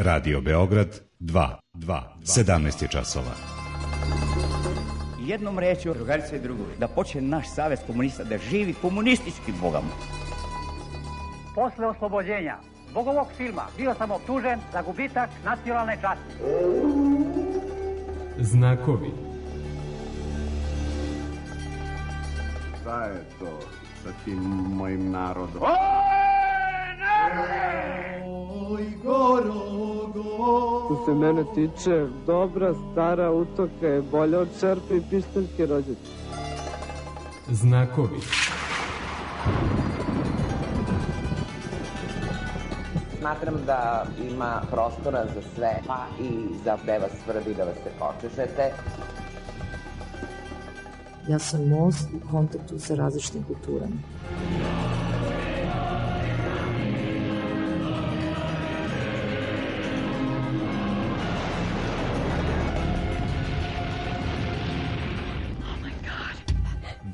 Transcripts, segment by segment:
Radio Beograd 2, 17 je časova. Jednom rečju, drugarice i drugovi, da počne naš savez komunista, da živi komunistički bogom. Posle oslobođenja zbog ovog filma bio sam optužen za gubitak nacionalne časti. Znakovi. Šta je to sa tim mojim narodom? Oj, Što se mene tiče, dobra stara utoka je bolja od šerpe i pištaljke rođaca. Znakovi. Smatram da ima prostora za sve, pa i za da vas svrbi, da vas se počešete. Ja sam most u kontaktu sa različitim kulturama.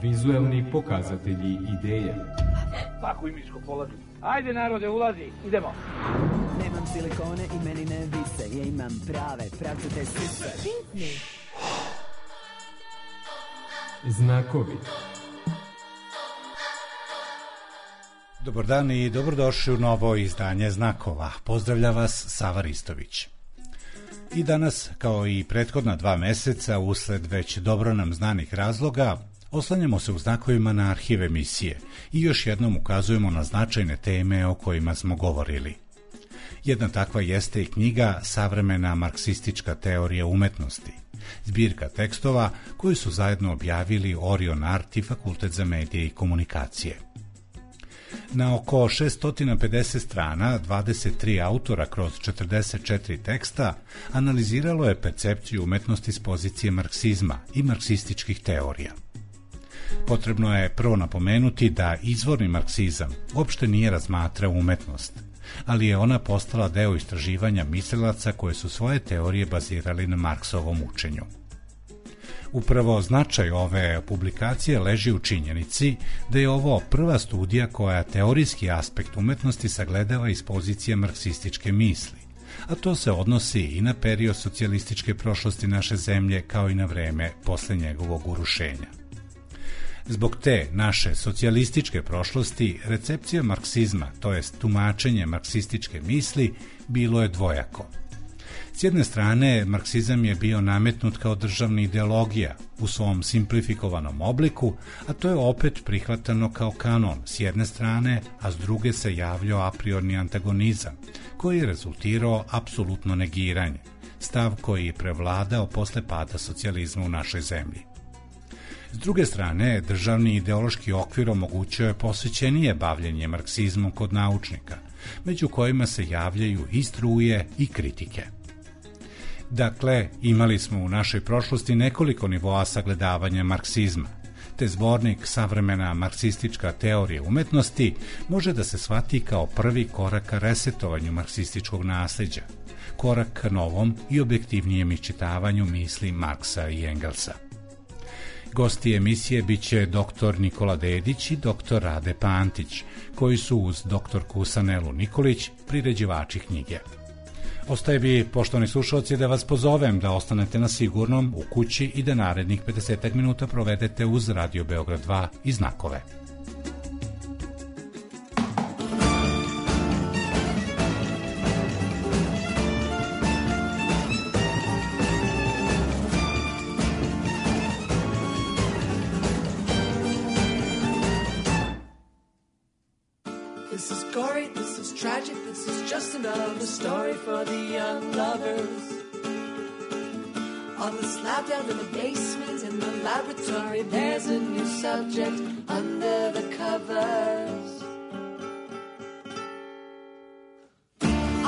Vizuelni pokazatelji ideje. Svaku imičku polazi. Ajde narode, ulazi, idemo. Nemam silikone i meni ne vise, ja imam prave, pravcate sise. Znakovi. Dobar dan i dobrodošli u novo izdanje Znakova. Pozdravlja vas Sava Ristović. I danas, kao i prethodna 2 meseca, usled već dobro nam znanih razloga, oslanjamo se u Znakovima na arhiv emisije i još jednom ukazujemo na značajne teme o kojima smo govorili. Jedna takva jeste i knjiga Savremena marksistička teorija umetnosti, zbirka tekstova koju su zajedno objavili Orion Art i Fakultet za medije i komunikacije. Na oko 650 strana, 23 autora kroz 44 teksta analiziralo je percepciju umetnosti s pozicije marksizma i marksističkih teorija. Potrebno je prvo napomenuti da izvorni marksizam uopšte nije razmatrao umetnost, ali je ona postala deo istraživanja mislilaca koje su svoje teorije bazirali na Marksovom učenju. Upravo značaj ove publikacije leži u činjenici da je ovo prva studija koja teorijski aspekt umetnosti sagledava iz pozicije marksističke misli, a to se odnosi i na period socijalističke prošlosti naše zemlje kao i na vreme posle njegovog urušenja. Zbog te naše socijalističke prošlosti, recepcija marksizma, to jest tumačenje marksističke misli, bilo je dvojako. S jedne strane, marksizam je bio nametnut kao državna ideologija u svom simplifikovanom obliku, a to je opet prihvatano kao kanon s jedne strane, a s druge se javljao a priorni antagonizam, koji je rezultirao apsolutno negiranje, stav koji je prevladao posle pada socijalizma u našoj zemlji. S druge strane, državni ideološki okvir omogućio je posvećenije bavljenje marksizmom kod naučnika, među kojima se javljaju i struje i kritike. Dakle, imali smo u našoj prošlosti nekoliko nivoa sagledavanja marksizma, te zbornik Savremena marksistička teorija umetnosti može da se shvati kao prvi korak ka resetovanju marksističkog nasleđa, korak ka novom i objektivnijem iščitavanju misli Marksa i Engelsa. Gosti emisije biće dr. Nikola Dedić i dr. Rade Pantić, koji su uz dr. Sanelu Nikolić priređivači knjige. Ostaje bi, poštovani slušalci, da vas pozovem da ostanete na sigurnom u kući i da narednih 50 minuta provedete uz Radio Beograd 2 i Znakove. This is gory, this is tragic, this is just another story for the young lovers. On the slab down in the basement, in the laboratory, there's a new subject under the covers.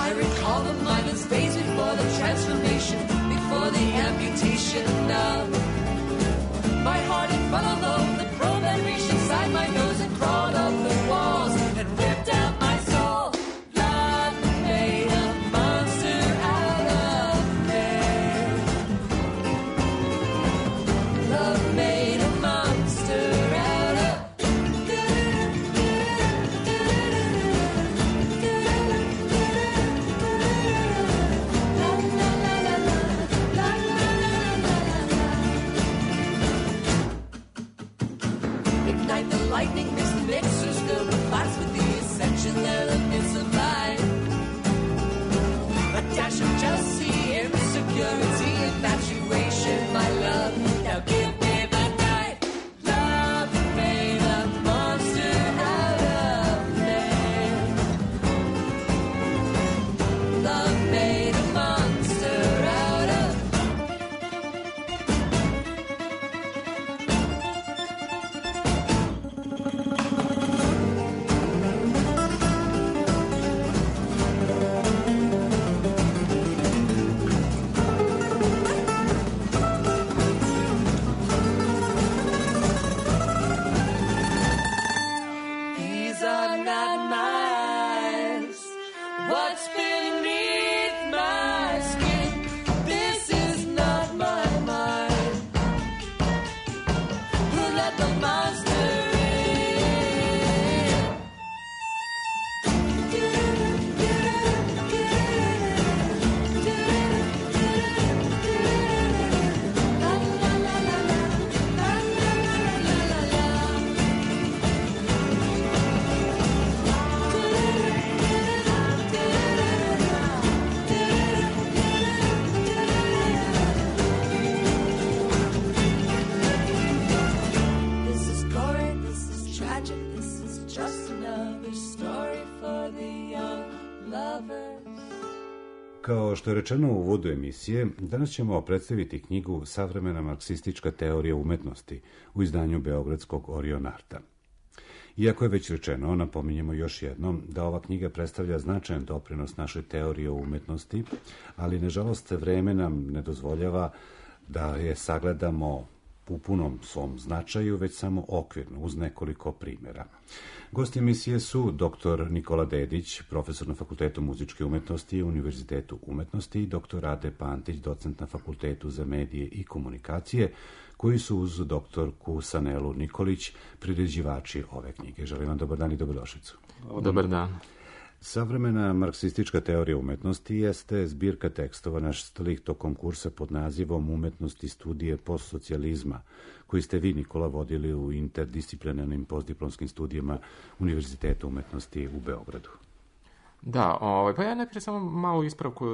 I recall the mindless days before the transformation, before the amputation of my heart in front of the probe that reached inside my nose and crawled up the walls and ripped out my soul. Love made a monster out of me. Love made a monster out of Kao što je rečeno u uvodu emisije, danas ćemo predstaviti knjigu Savremena marksistička teorija umetnosti u izdanju beogradskog Orion Arta. Iako je već rečeno, napominjemo još jednom da ova knjiga predstavlja značajan doprinos našoj teoriji o umetnosti, ali nažalost vreme nam ne dozvoljava da je sagledamo u punom svom značaju, već samo okvirno, uz nekoliko primjera. Gosti emisije su dr. Nikola Dedić, profesor na Fakultetu muzičke umetnosti i Univerzitetu umetnosti, i dr. Rade Pantić, docent na Fakultetu za medije i komunikacije, koji su uz doktorku Sanelu Nikolić priređivači ove knjige. Želim vam dobar dan i dobrodošlicu. Dobar dan. Savremena marksistička teorija umetnosti jeste zbirka tekstova nastalih tokom kursa pod nazivom Umetnosti studije postsocijalizma, koji ste vi, Nikola, vodili u interdisciplinarnim postdiplomskim studijama Univerziteta umetnosti u Beogradu. Da, pa ja najprije samo malu ispravku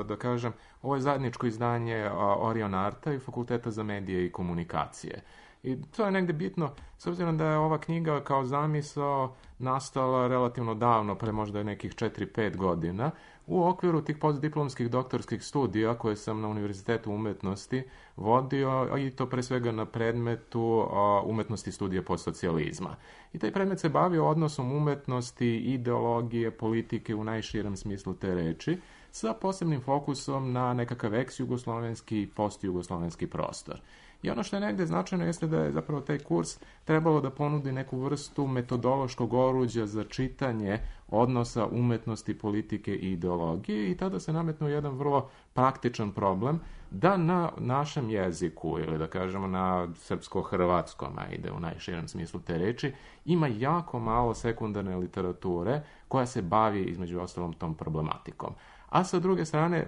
da kažem. Ovo je zajedničko izdanje Orion Arta i Fakulteta za medije i komunikacije. I to je negde bitno, s obzirom da je ova knjiga kao zamisao nastala relativno davno, pre možda nekih 4-5 godina, u okviru tih postdiplomskih doktorskih studija koje sam na Univerzitetu umetnosti vodio, i to pre svega na predmetu umetnosti studije postsocijalizma. I taj predmet se bavio odnosom umetnosti, ideologije, politike u najširem smislu te reči, sa posebnim fokusom na nekakav ex-jugoslovenski i post-jugoslovenski prostor. I ono što je negde značajno jeste da je zapravo taj kurs trebalo da ponudi neku vrstu metodološkog oruđa za čitanje odnosa umetnosti, politike i ideologije, i tada se nametnuo jedan vrlo praktičan problem da na našem jeziku, ili da kažemo na srpsko-hrvatskom, ide u najširem smislu te reči, ima jako malo sekundarne literature koja se bavi između ostalom tom problematikom. A sa druge strane,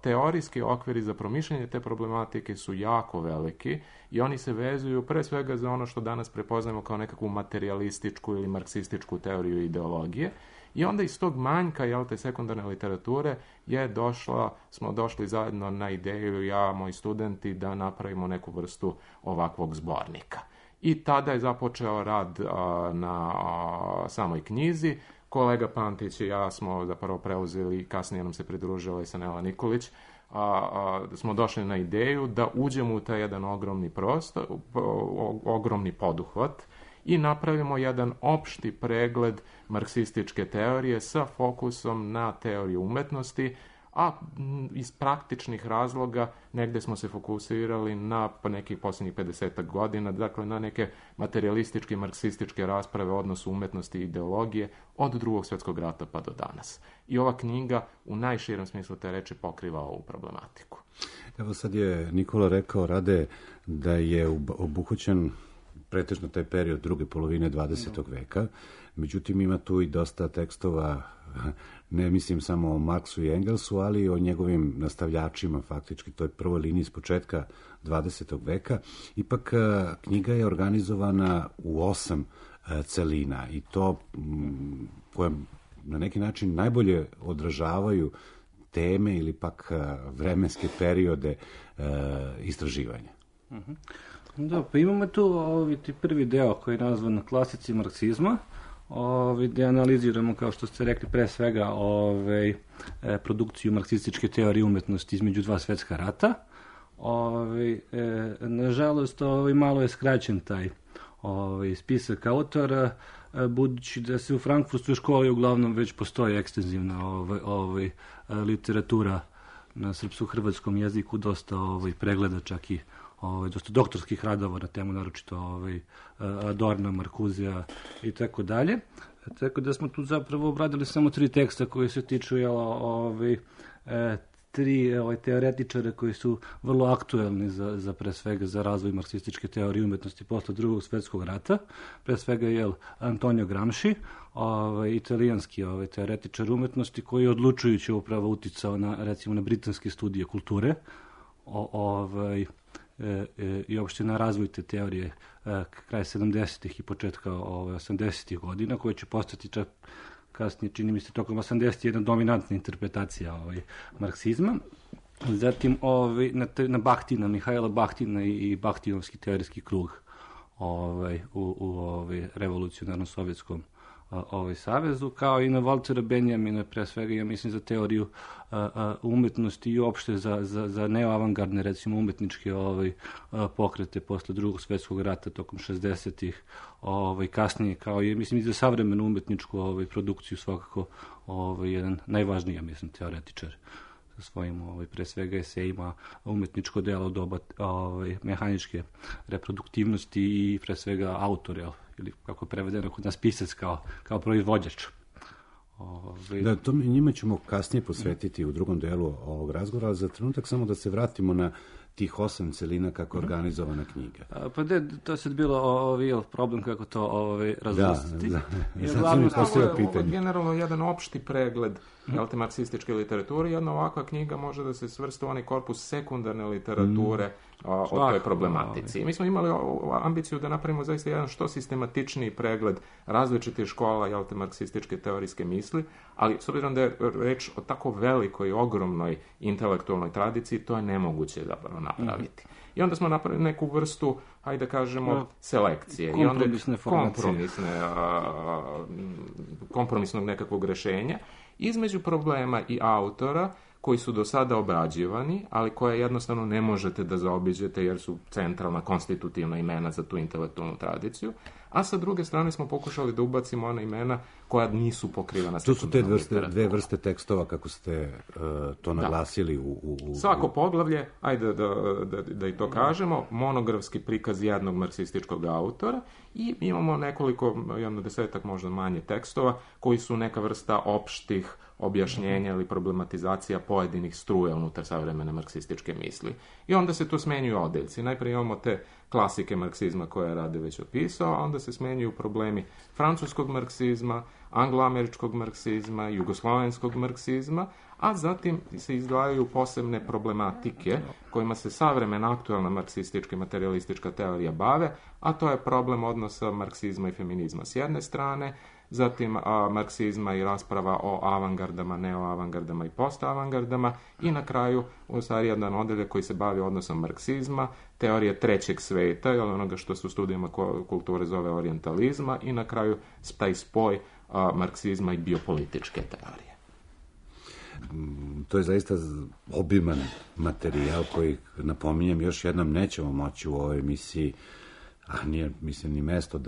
teorijski okviri za promišljanje te problematike su jako veliki i oni se vezuju pre svega za ono što danas prepoznajemo kao nekakvu materialističku ili marksističku teoriju ideologije. I onda iz tog manjka, te sekundarne literature smo došli zajedno na ideju, ja, moji studenti, da napravimo neku vrstu ovakvog zbornika. I tada je započeo rad na samoj knjizi. Kolega Pantić i ja smo zapravo preuzeli, kasnije nam se pridružila i Sanela Nikolić, smo došli na ideju da uđemo u taj jedan ogromni prostor, ogromni poduhvat i napravimo jedan opšti pregled marksističke teorije sa fokusom na teoriju umetnosti, a iz praktičnih razloga negde smo se fokusirali na nekih posljednjih 50 godina, dakle na neke materialističke, marksističke rasprave o odnosu umetnosti i ideologije od Drugog svjetskog rata pa do danas. I ova knjiga u najširem smislu te reči pokriva ovu problematiku. Evo sad je Nikola rekao, Rade, da je obuhvaćen pretežno taj period druge polovine 20. veka, međutim ima tu i dosta tekstova, ne mislim samo o Marksu i Engelsu, ali i o njegovim nastavljačima, faktički toj prvoj liniji s početka 20. veka. Ipak knjiga je organizovana u 8 celina i to koje na neki način najbolje odražavaju teme ili pak vremenske periode istraživanja. Da, pa imamo tu prvi deo koji je nazvan klasici marksizma, gde analiziramo, kao što ste rekli, pre svega produkciju marksističke teorije umetnosti između dva svetska rata. Nažalost, malo je skraćen taj spisak autora, budući da se u frankfurtskoj školi uglavnom već postoji ekstenzivna literatura na srpsko-hrvatskom jeziku, dosta pregleda, čak i dosta doktorskih radova na temu, naročito Adorna, Markuzija i tako dalje. Tako da smo tu zapravo obradili samo 3 teksta koji se tiču 3 teoretičara koji su vrlo aktuelni za pre svega za razvoj marksističke teorije umetnosti posle Drugog svjetskog rata. Pre svega je Antonio Gramsci, italijanski teoretičar umetnosti, koji je odlučujuće upravo uticao na britanske studije kulture i uopšte na razvoj te teorije kraja 70-ih i početka 80-ih godina, koje će postati čak kasnije, čini mi se, tokom 80-ih jedna dominantna interpretacija marksizma. Zatim na Bahtina, Mihajla Bahtina i Bahtinovski teorijski krug u revolucionarnom sovjetskom savezu, kao i na Waltera Benjamina, pre svega, ja mislim, za teoriju umetnosti i uopšte za neoavangardne, recimo, umetničke pokrete posle Drugog svjetskog rata tokom 60-ih, kasnije, kao i, mislim, i za savremenu umetničku produkciju, svakako jedan najvažniji, ja mislim, teoretičar sa svojim, pre svega, esejima, umetničko delo doba mehaničke reproduktivnosti i, pre svega, autor, ili kako je prevedeno kod nas, pisac kao proizvođač. Da, njima ćemo kasnije posvetiti u drugom delu ovog razgovora, ali za trenutak samo da se vratimo na tih 8 celina kako je organizovana knjiga. Pa to je sad bilo problem kako to razvrstiti. Da, sad mi postavio pitanje. Ovo je generalno jedan opšti pregled marksističke literature. Jedna ovakva knjiga može da se svrsta u onaj korpus sekundarne literature o toj problematici. Mi smo imali ambiciju da napravimo zaista jedan što sistematičniji pregled različitih škola marksističke teorijske misli, ali s obzirom da je reč o tako velikoj, ogromnoj intelektualnoj tradiciji, to je nemoguće zapravo napraviti. I onda smo napravili neku vrstu, hajde da kažemo, selekcije. Kompromisne formacije. Kompromisnog nekakvog rešenja između problema i autora koji su do sada obrađivani, ali koje jednostavno ne možete da zaobiđete jer su centralna, konstitutivna imena za tu intelektualnu tradiciju, a sa druge strane smo pokušali da ubacimo ona imena koja nisu pokrivana. To su te dve vrste tekstova, kako ste to naglasili. Svako poglavlje, ajde da i to kažemo, monografski prikaz jednog marksističkog autora i imamo nekoliko, jedno 10-ak možda manje tekstova, koji su neka vrsta opštih objašnjenja ili problematizacija pojedinih struja unutar savremene marksističke misli. I onda se tu smenjuju odeljci. Najprije imamo te klasike marksizma koje je Rade već opisao, a onda se smenjuju problemi francuskog marksizma, angloameričkog marksizma, jugoslovenskog marksizma, a zatim se izdvajaju posebne problematike kojima se savremena aktualna marksistička i materialistička teorija bave, a to je problem odnosa marksizma i feminizma s jedne strane, zatim marksizma i rasprava o avangardama, neoavangardama i postavangardama i na kraju u stvari jedan odeljak koji se bavi odnosom marksizma, teorije trećeg sveta, ili onoga što se u studijama kulture zove orijentalizma i na kraju taj spoj marksizma i biopolitičke teorije. To je zaista obiman materijal koji, napominjem, još jednom nećemo moći u ovoj emisiji, a nije, mislim, ni mesto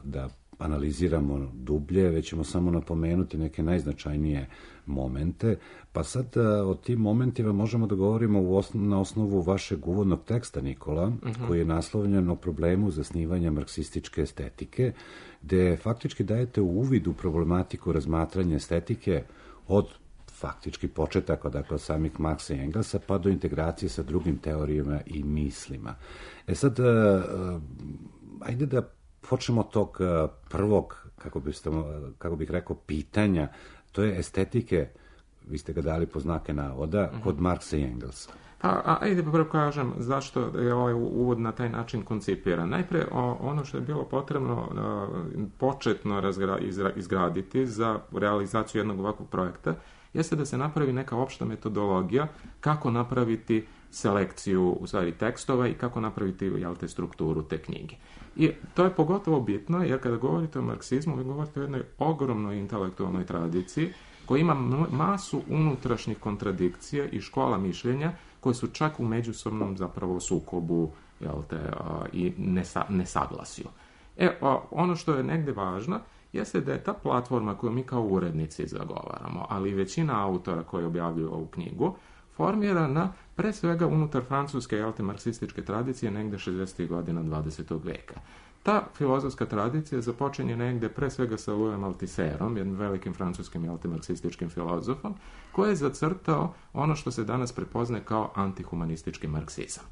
da analiziramo dublje, već ćemo samo napomenuti neke najznačajnije momente. Pa sad o tim momentima možemo da govorimo na osnovu vašeg uvodnog teksta, Nikola, koji je naslovljen o problemu zasnivanja marksističke estetike, gde faktički dajete uvid u problematiku razmatranja estetike od faktički početaka, dakle od samih Marksa i Engelsa, pa do integracije sa drugim teorijama i mislima. Sad, ajde da počnemo od tog prvog, kako bih rekao, pitanja, to je estetike, vi ste ga dali po znake navoda, kod Marksa i Engelsa. Ajde prvo kažem zašto je ovaj uvod na taj način koncipiran. Najpre, ono što je bilo potrebno početno izgraditi za realizaciju jednog ovakvog projekta jeste da se napravi neka opšta metodologija kako napraviti selekciju u stvari tekstova i kako napraviti strukturu te knjige. I to je pogotovo bitno jer kada govorite o marksizmu, vi govorite o jednoj ogromnoj intelektualnoj tradiciji koja ima masu unutrašnjih kontradikcija i škola mišljenja koje su čak u međusobnom zapravo sukobu i nesaglasju. Ono što je negde važno jeste da je ta platforma koju mi kao urednici zagovaramo, ali i većina autora koji objavljuju ovu knjigu, formirana pre svega unutar francuske marksističke tradicije negde 60. godina 20. veka. Ta filozofska tradicija započinje negde pre svega sa Louisom Althusserom, jednim velikim francuskim marksističkim filozofom, koji je zacrtao ono što se danas prepoznaje kao antihumanistički marksizam.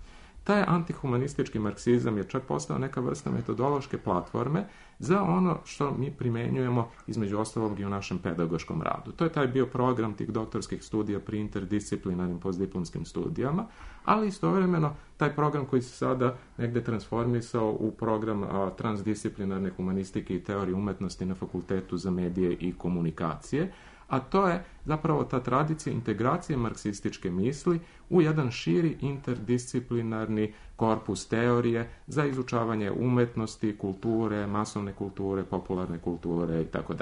Taj antihumanistički marksizam je čak postao neka vrsta metodološke platforme za ono što mi primenjujemo između ostalog i u našem pedagoškom radu. To je taj bio program tih doktorskih studija pri interdisciplinarnim postdiplomskim studijama, ali istovremeno taj program koji se sada negde transformisao u program transdisciplinarne humanistike i teorije umetnosti na Fakultetu za medije i komunikacije, a to je zapravo ta tradicija integracije marksističke misli u jedan širi interdisciplinarni korpus teorije za izučavanje umetnosti, kulture, masovne kulture, popularne kulture itd.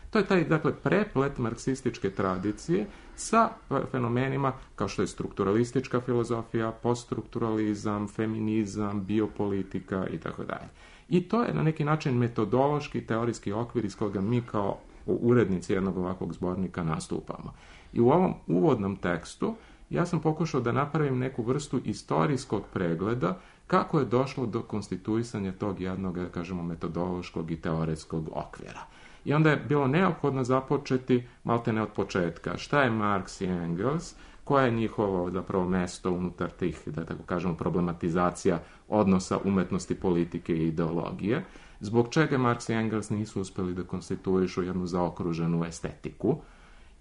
To je taj, dakle, preplet marksističke tradicije sa fenomenima kao što je strukturalistička filozofija, poststrukturalizam, feminizam, biopolitika itd. I to je na neki način metodološki, teorijski okvir iz koga mi kao urednici jednog ovakvog zbornika nastupamo. I u ovom uvodnom tekstu ja sam pokušao da napravim neku vrstu istorijskog pregleda kako je došlo do konstituisanja tog jednog, da kažemo, metodološkog i teoretskog okvira. I onda je bilo neophodno započeti maltene od početka. Šta je Marx i Engels, koje je njihovo zapravo mesto unutar tih, da tako kažemo, problematizacija odnosa umetnosti, politike i ideologije, zbog čega Marx i Engels nisu uspjeli da konstituišu jednu zaokruženu estetiku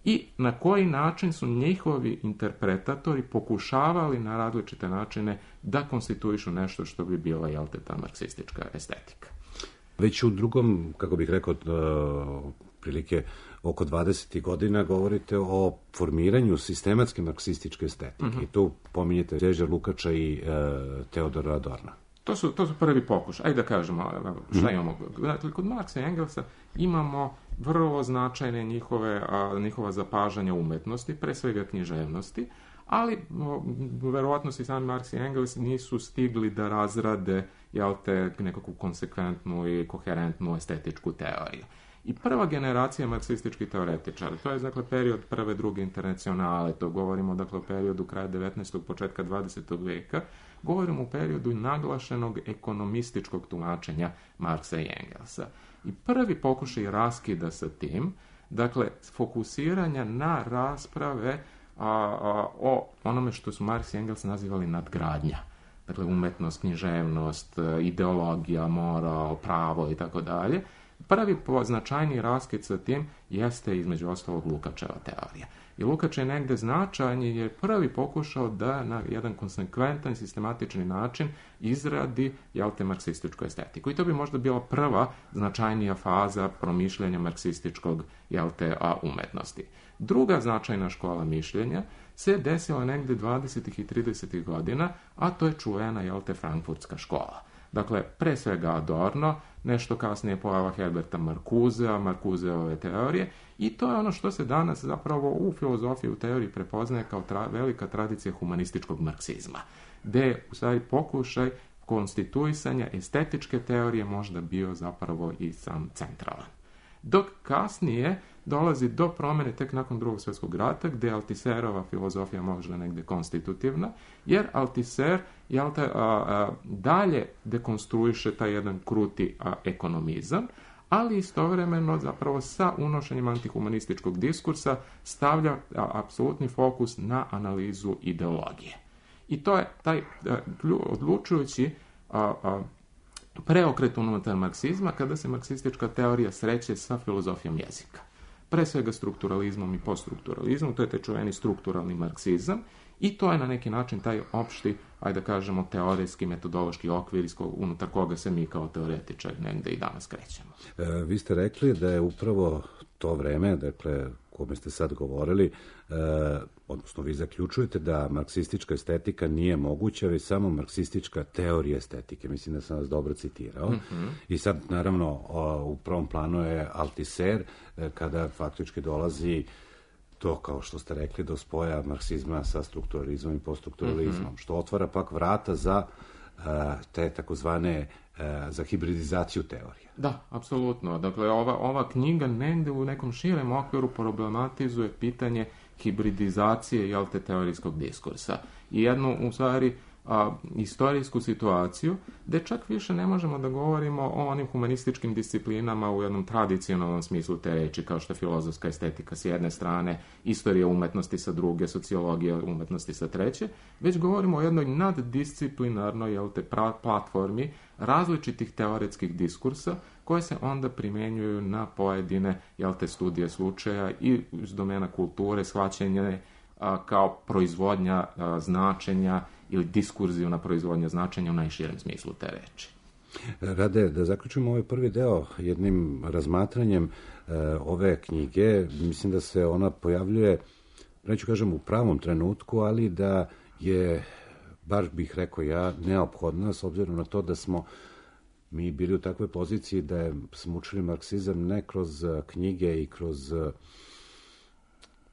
i na koji način su njihovi interpretatori pokušavali na različite načine da konstituišu nešto što bi bila, jel te, ta marksistička estetika. Već u drugom, kako bih rekao, prilike oko 20. godina govorite o formiranju sistematske marksističke estetike. I tu pominjete Đeđa Lukača i Teodora Adorna. To su prvi pokušaj. Ajde da kažemo šta imamo. Dakle, kod Marksa i Engelsa imamo vrlo značajne njihova zapažanja umetnosti, pre svega književnosti, ali verovatno i sami Marks i Engels nisu stigli da razrade, jel te, nekakvu konsekventnu i koherentnu estetičku teoriju. I prva generacija marksističkih teoretičara, to je, dakle, period prve, druge internacionale, to govorimo, dakle, o periodu kraja 19. početka 20. veka, govorimo o periodu naglašenog ekonomističkog tumačenja Marksa i Engelsa. I prvi pokušaj raskida sa tim, dakle, fokusiranja na rasprave o onome što su Marks i Engels nazivali nadgradnja. Dakle, umetnost, književnost, ideologija, moral, pravo i tako dalje. Prvi značajni raskid sa tim jeste, između ostalog, Lukačeva teorija. I Lukač je negde značajan jer je prvi pokušao da na jedan konsekventan, sistematični način izradi, jel te, marksističku estetiku. I to bi možda bila prva značajnija faza promišljanja marksističkog, jel te, umetnosti. Druga značajna škola mišljenja se desila negde 20. i 30. godina, a to je čuvena, jel te, frankfurtska škola. Dakle, pre svega Adorno, nešto kasnije pojava Herberta Marcusea, Marcuseove teorije, i to je ono što se danas zapravo u filozofiji, u teoriji prepoznaje kao velika tradicija humanističkog marksizma, gde je u stvari pokušaj konstituisanja estetičke teorije možda bio zapravo i sam centralan. Dok kasnije dolazi do promjene tek nakon Drugog svjetskog rata, gdje je Althusserova filozofija možda negdje konstitutivna, jer Althusser dalje dekonstruiše taj jedan kruti ekonomizam, ali istovremeno zapravo sa unošenjem antihumanističkog diskursa stavlja apsolutni fokus na analizu ideologije. I to je taj odlučujući preokret unutar marksizma kada se marksistička teorija sreće sa filozofijom jezika. Pre svega strukturalizmom i poststrukturalizmom, to je taj čuveni strukturalni marksizam, i to je na neki način taj opšti, ajde da kažemo, teorijski, metodološki okvir unutar koga se mi kao teoretičari negde i danas krećemo. Vi ste rekli da je upravo to vreme, dakle, kome ste sad govorili, odnosno vi zaključujete da marksistička estetika nije moguća, već samo marksistička teorija estetike. Mislim da sam vas dobro citirao. I sad, naravno, u prvom planu je Althusser, kada faktički dolazi to, kao što ste rekli, do spoja marksizma sa strukturalizmom i poststrukturalizmom, što otvara pak vrata za te takozvane za hibridizaciju teorije. Da, apsolutno. Dakle, ova knjiga negde u nekom širem okviru problematizuje pitanje hibridizacije, jel te, teorijskog diskursa. I jednu, u stvari, istorijsku situaciju, gde čak više ne možemo da govorimo o onim humanističkim disciplinama u jednom tradicionalnom smislu te reči, kao što je filozofska estetika s jedne strane, istorija umetnosti sa druge, sociologija umetnosti sa treće, već govorimo o jednoj naddisciplinarnoj, jel te, platformi različitih teoretskih diskursa koje se onda primjenjuju na pojedine, jel te, studije slučaja i iz domena kulture, shvaćanje kao proizvodnja značenja ili diskurzivna proizvodnja značenja u najširem smislu te reči. Rade, da zaključimo ovaj prvi deo jednim razmatranjem ove knjige. Mislim da se ona pojavljuje, neću kažem u pravom trenutku, ali da je, baš bih rekao ja, neophodna s obzirom na to da smo mi bili u takvoj poziciji da smo učili marksizam ne kroz knjige i kroz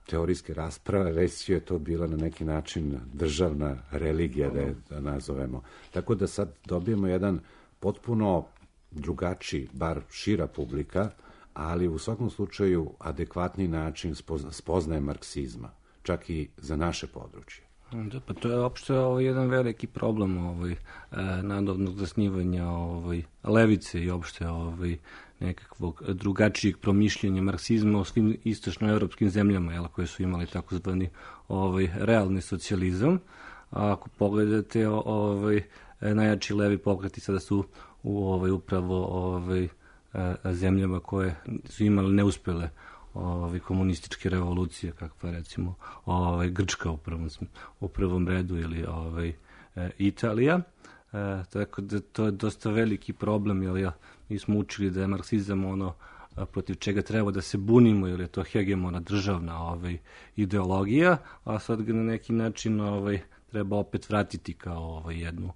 teorijske rasprave, već je to bila na neki način državna religija, da nazovemo. Tako da sad dobijemo jedan potpuno drugačiji, bar šira publika, ali u svakom slučaju adekvatni način spoznaje marksizma, čak i za naše područje. Da, pa to je opšte jedan veliki problem nadobnog zasnivanja levice i opšte nekakvog drugačijeg promišljenja marksizma u svim istočnoevropskim zemljama, koje su imali takozvani realni socijalizam. A ako pogledate, najjači levi pokreti sada su upravo zemljama koje su imali neuspele komunističke revolucije, kakva recimo Grčka u prvom redu ili Italija. Tako da to je dosta veliki problem, jer mi smo učili da je marksizam ono protiv čega treba da se bunimo, jer je to hegemona državna ideologija, a sad ga na neki način treba opet vratiti kao jednu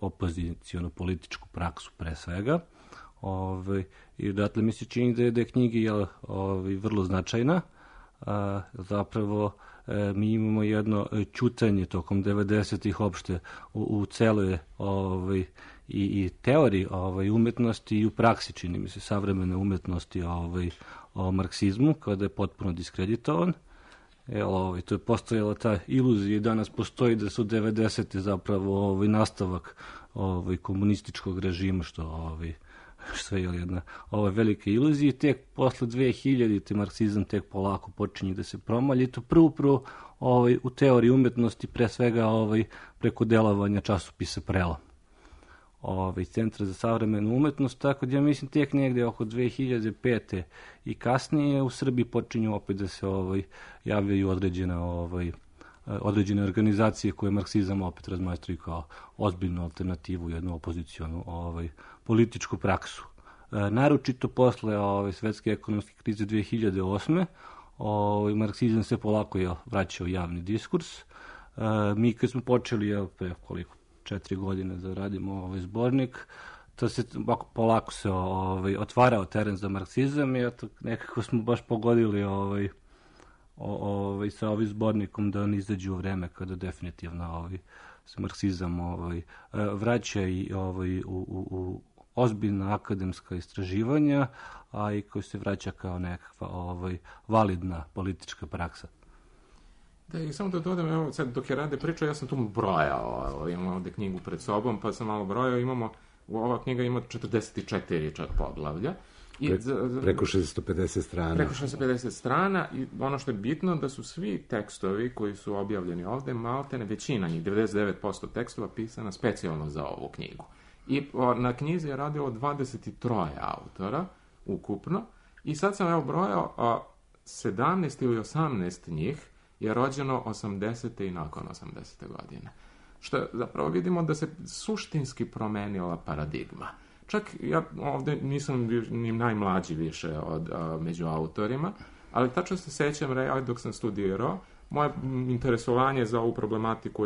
opozicijonu političku praksu pre svega. I odatle mi se čini da je knjiga vrlo značajna. Zapravo mi imamo jedno ćutanje tokom 90-ih opšte u celoj i teoriji umetnosti i u praksi, čini mi se, savremene umetnosti o marksizmu, kada je potpuno diskreditovan. To je postojala ta iluzija i danas postoji da su 90-te zapravo nastavak komunističkog režima, što je jedna velika iluzija. Tek posle 2000-te marksizam tek polako počinje da se promalje. I to prvo u teoriji umetnosti, pre svega preko delovanja časopisa Prelom, Centra za savremenu umetnost, tako da ja mislim tek negde oko 2005. i kasnije u Srbiji počinju opet da se javljaju određene organizacije koje marksizam opet razmatraju kao ozbiljnu alternativu, jednu opozicionu političku praksu. Naročito posle svetske ekonomske krize 2008. Marksizam se polako vraća u javni diskurs. Mi kad smo počeli pre 4 godine da radimo zbornik, to se polako se otvarao teren za marksizam i nekako smo baš pogodili sa ovim zbornikom da on izađe u vreme kada definitivno se marksizam vraća i u ozbiljna akademska istraživanja, a i koji se vraća kao nekakva validna politička praksa. Da, i samo da dodam, evo, sad dok je Rade pričao, ja sam tu brojao, imam ovde knjigu pred sobom, pa sam malo brojao, ova knjiga ima 44 čak poglavlja. Preko 650 strana. Preko 650 strana i ono što je bitno da su svi tekstovi koji su objavljeni ovde, maltene većina njih, 99% tekstova pisana specijalno za ovu knjigu. I na knjizi je radilo 23 autora ukupno i sad sam evo brojao 17 ili 18 njih je rođeno 80. i nakon 80. godine. Što zapravo vidimo da se suštinski promenila paradigma. Čak ja ovde nisam ni najmlađi više među autorima, ali tačno se sećam, dok sam studirao, moje interesovanje za ovu problematiku,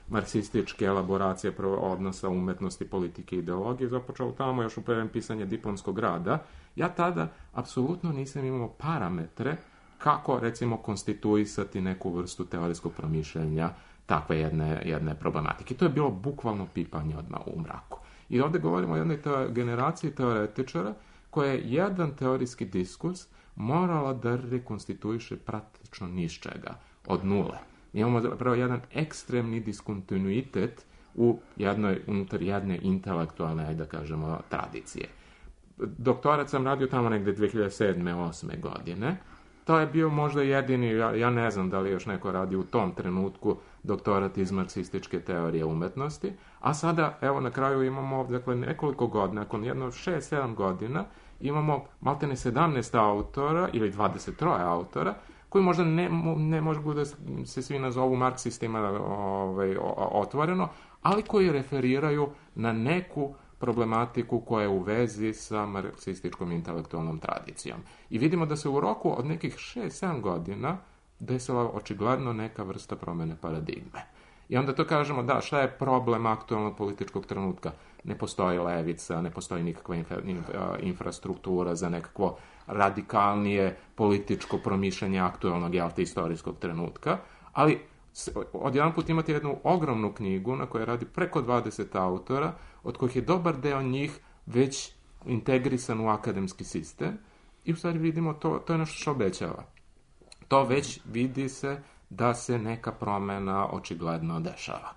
marksističke elaboracije odnosa umetnosti, politike i ideologije, započeo tamo još u prvom pisanje diplomskog rada. Ja tada apsolutno nisam imao parametre kako, recimo, konstituisati neku vrstu teorijskog promišljanja takve jedne problematike. To je bilo bukvalno pipanje odmah u mraku. I ovde govorimo o jednoj generaciji teoretičara koja je jedan teorijski diskurs morala da rekonstituiše praktično niz čega, od nule. Imamo zapravo jedan ekstremni diskontinuitet unutar jedne intelektualne, da kažemo, tradicije. Doktorat sam radio tamo negde 2007-2008. godine. To je bio možda jedini, ja ne znam da li još neko radi u tom trenutku doktorat iz marksističke teorije umetnosti, a sada, evo, na kraju imamo, dakle, nekoliko godina, nakon jedno 6-7 godina, imamo maltene 17 autora ili 23 autora, koji možda ne mogu da se svi nazovu marksistima otvoreno, ali koji referiraju na neku problematiku koja je u vezi sa marksističkom intelektualnom tradicijom. I vidimo da se u roku od nekih 6-7 godina desila očigledno neka vrsta promene paradigme. I onda to kažemo, da, šta je problem aktualnog političkog trenutka? Ne postoji levica, ne postoji nikakva infrastruktura za nekakvo radikalnije političko promišljanje aktualnog istorijskog trenutka, ali odjedanput imate jednu ogromnu knjigu na kojoj radi preko 20 autora, od kojih je dobar deo njih već integrisan u akademski sistem i u stvari vidimo to je nešto što obećava. To već vidi se da se neka promena očigledno dešava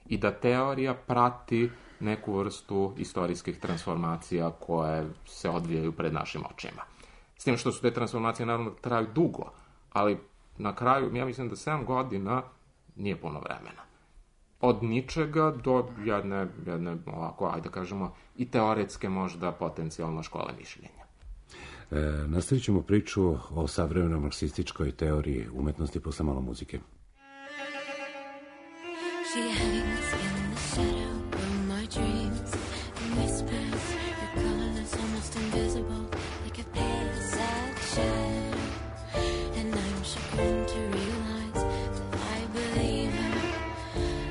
i da teorija prati neku vrstu istorijskih transformacija koje se odvijaju pred našim očima. S tim što su te transformacije naravno traju dugo, ali na kraju, ja mislim da 7 godina nije puno vremena. Od ničega do jedne ovako, ajde kažemo, i teoretske možda potencijalno škole mišljenja. Nastavit ćemo priču o savremenoj marksističkoj teoriji umetnosti posle malo muzike. She hangs in the shadow of my dreams and whispers, your colorless, almost invisible, like a pale, sad shadow. And I'm chagrined to realize that I believe her.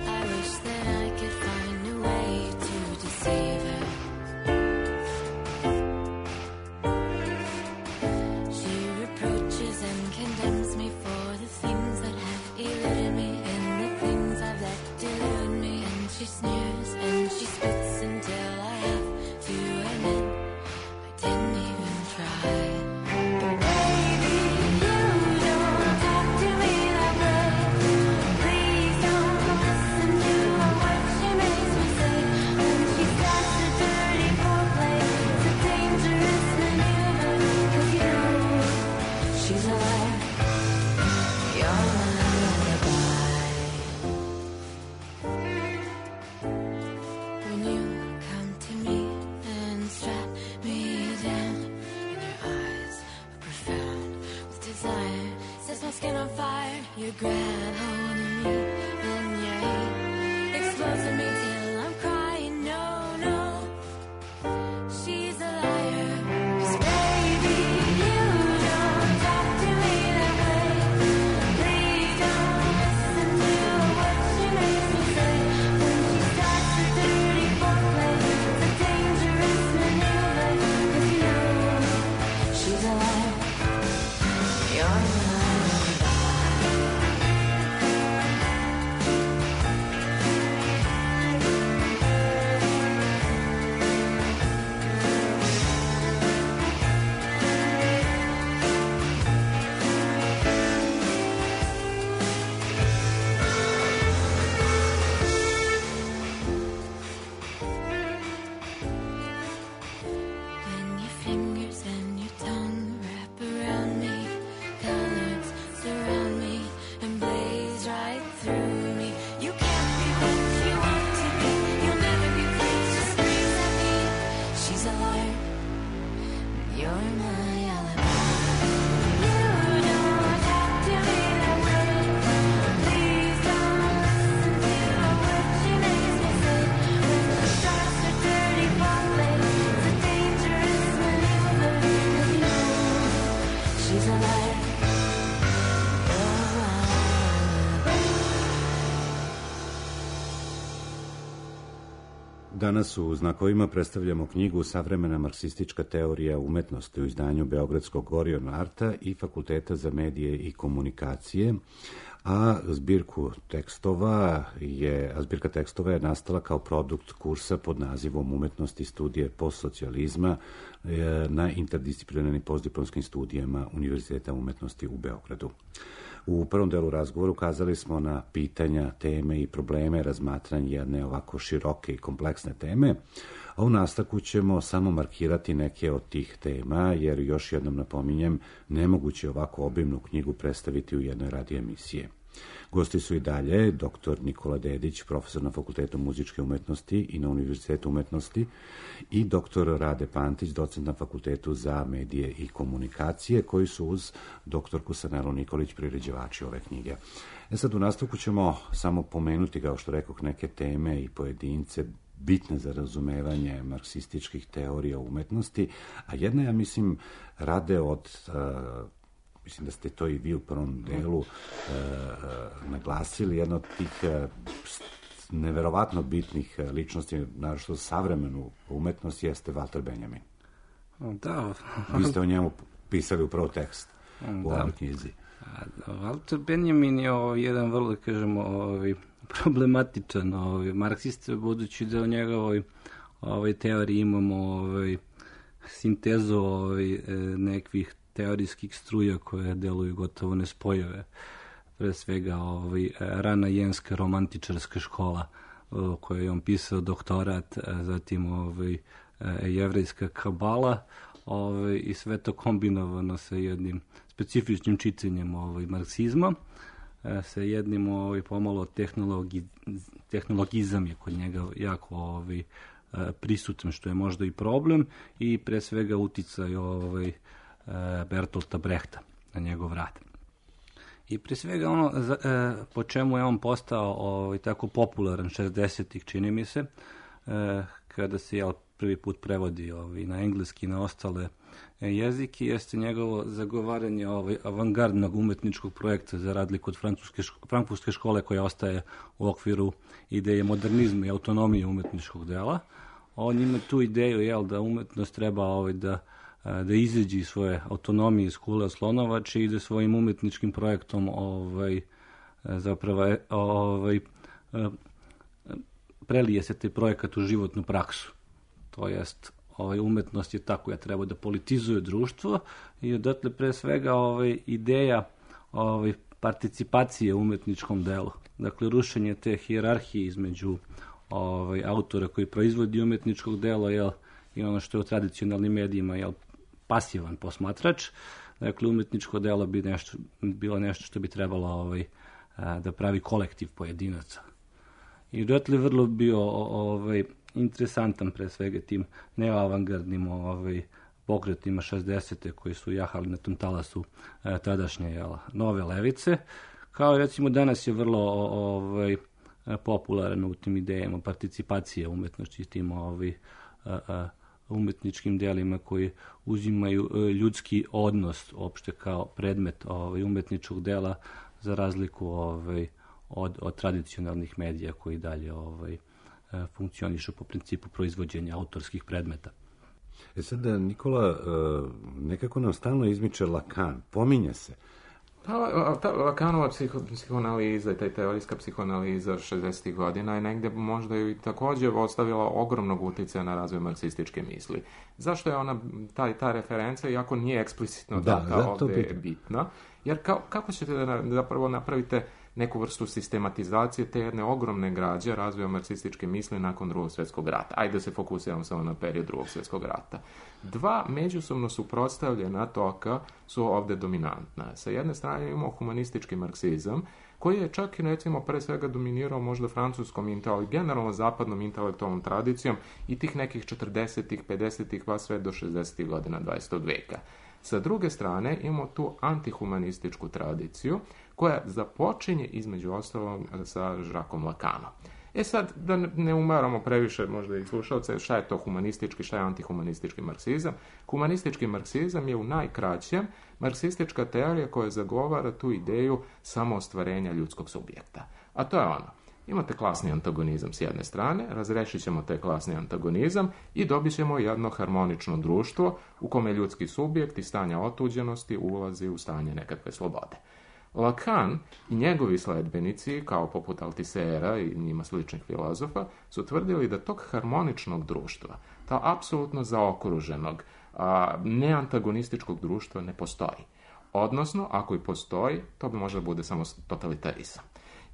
I wish that I could find a way to deceive her. She reproaches and condemns me for the things that have eluded me and the things I've let delude me. And she sneers and she spits until I have to admit I didn't even try. Baby, you don't talk to me that way. Please don't listen to what she makes me say. When she starts a dirty foreplay, it's a dangerous maneuver. 'Cause you know she's a liar. You're my alibi. When you come to me and strap me down, and your eyes are profound with desire, sets my skin on fire. You grab hold of me and your hate explodes in me till I'm crying. No, no, she's a liar. 'Cause baby, you don't talk to me that way. Please don't listen to what she makes me say. When she starts a dirty foreplay, it's a dangerous maneuver. 'Cause you know she's a liar. You're my alibi. When your fingers and your tongue wrap around me, colors surround me and blaze right through me. You can't be what you want to be. You'll never be pleased. She screams at me. She's a liar. You're my alibi. You don't talk to me that way. Please don't listen to what she makes me say. When she starts her dirty foreplay, it's a dangerous maneuver. 'Cause you know she's a liar. You're my alibi. Danas u Znakovima predstavljamo knjigu Savremena marksistička teorija umetnosti u izdanju Beogradskog Orion Arta i Fakulteta za medije i komunikacije, a zbirka tekstova je nastala kao produkt kursa pod nazivom Umetnosti studije postsocijalizma na interdisciplinarnim postdiplomskim studijama Univerziteta umetnosti u Beogradu. U prvom delu razgovora ukazali smo na pitanja, teme i probleme razmatranja jedne ovako široke i kompleksne teme, a u nastavku ćemo samo markirati neke od tih tema, jer još jednom napominjem, nemoguće ovako obimnu knjigu predstaviti u jednoj radio emisije. Gosti su i dalje dr. Nikola Dedić, profesor na Fakultetu muzičke umetnosti i na Univerzitetu umetnosti, i dr. Rade Pantić, docent na Fakultetu za medije i komunikacije, koji su uz doktorku Sanelu Nikolić priređivači ove knjige. Sad u nastavku ćemo samo pomenuti, kao što rekoh, neke teme i pojedince, bitne za razumevanje marksističkih teorija umetnosti, a jedna, ja mislim, rade od, mislim da ste to i vi u prvom delu naglasili, jedna od tih neverovatno bitnih ličnosti, naravno savremenu umetnost, jeste Walter Benjamin. Da. Vi ste o njemu pisali upravo tekst u ovoj knjizi. Walter Benjamin je jedan vrlo, kažemo, problematičan marksist, budući da u njegovoj teoriji imamo sintezu nekih teorijskih struja koje deluju gotovo nespojive. Pre svega rana jenska romantičarska škola koju je on pisao doktorat, zatim jevrejska kabala i sve to kombinovano sa jednim specifičnim čitanjem marksizma, sa jednim pomalo tehnologizam je kod njega jako prisutan, što je možda i problem, i pre svega uticaj Bertolta Brehta na njegov rad. I pre svega ono po čemu je on postao tako popularan 60-ih, čini mi se, kada se prvi put prevodi na engleski i na ostale jezike, jeste njegovo zagovaranje avangardnog umetničkog projekta, za razliku od frankfurtske škole koja ostaje u okviru ideje modernizma i autonomije umetničkog dela. On ima tu ideju da umetnost treba da izađe iz svoje autonomije iz kule Slonovače i da svojim umetničkim projektom zapravo prelije se taj projekat u životnu praksu. To jest, umetnost je ta koja treba da politizuje društvo i odatle pre svega ideja participacije u umetničkom delu. Dakle, rušenje te hijerarhije između autora koji proizvodi umetničkog dela i ono što je u tradicionalnim medijima pasivan posmatrač. Dakle, umetničko delo bi bilo nešto što bi trebalo da pravi kolektiv pojedinaca. I odatle vrlo bio interesantan pre svega tim neoavangardnim pokretima 60. koji su jahali na tom talasu tadašnje nove levice, kao recimo danas je vrlo popularan u tim idejama participacije umetnosti, tim umetničkim delima koji uzimaju ljudski odnos opšte kao predmet umetničkog dela, za razliku od tradicionalnih medija koji dalje funkcionišu po principu proizvođenja autorskih predmeta. Sada, Nikola, nekako nam stalno izmiče Lacan, pominje se. Ta Lacanova psihoanaliza i ta teorijska psihoanaliza 60. godina je negdje možda i također ostavila ogromnog uticaja na razvoj marksističke misli. Zašto je ona, ta referenca, iako nije eksplicitno data ovdje bitna, jer kako ćete da zapravo napravite neku vrstu sistematizacije te jedne ogromne građe razvoja marksističke misli nakon Drugog svjetskog rata. Ajde da se fokusiramo samo na period Drugog svjetskog rata. Dva međusobno suprotstavljena toka su ovdje dominantna. Sa jedne strane imamo humanistički marksizam, koji je čak i recimo pre svega dominirao možda francuskom ali generalno zapadnom intelektualnom tradicijom i tih nekih 40-ih, 50-ih pa sve do 60-ih godina 20. vijeka. Sa druge strane imamo tu antihumanističku tradiciju koja započinje između ostalog sa Jacquesom Lacanom. Sad, da ne umaramo previše možda i slušalce, šta je to humanistički, šta je antihumanistički marksizam. Humanistički marksizam je u najkraćem marksistička teorija koja zagovara tu ideju samoostvarenja ljudskog subjekta. A to je ono. Imate klasni antagonizam s jedne strane, razrešit ćemo taj klasni antagonizam i dobit ćemo jedno harmonično društvo u kome ljudski subjekt iz stanja otuđenosti ulazi u stanje nekakve slobode. Lacan i njegovi sledbenici, kao poput Altisera i njima sličnih filozofa, su tvrdili da tog harmoničnog društva, ta apsolutno zaokruženog, neantagonističkog društva ne postoji. Odnosno, ako i postoji, to bi možda bude samo totalitarizam.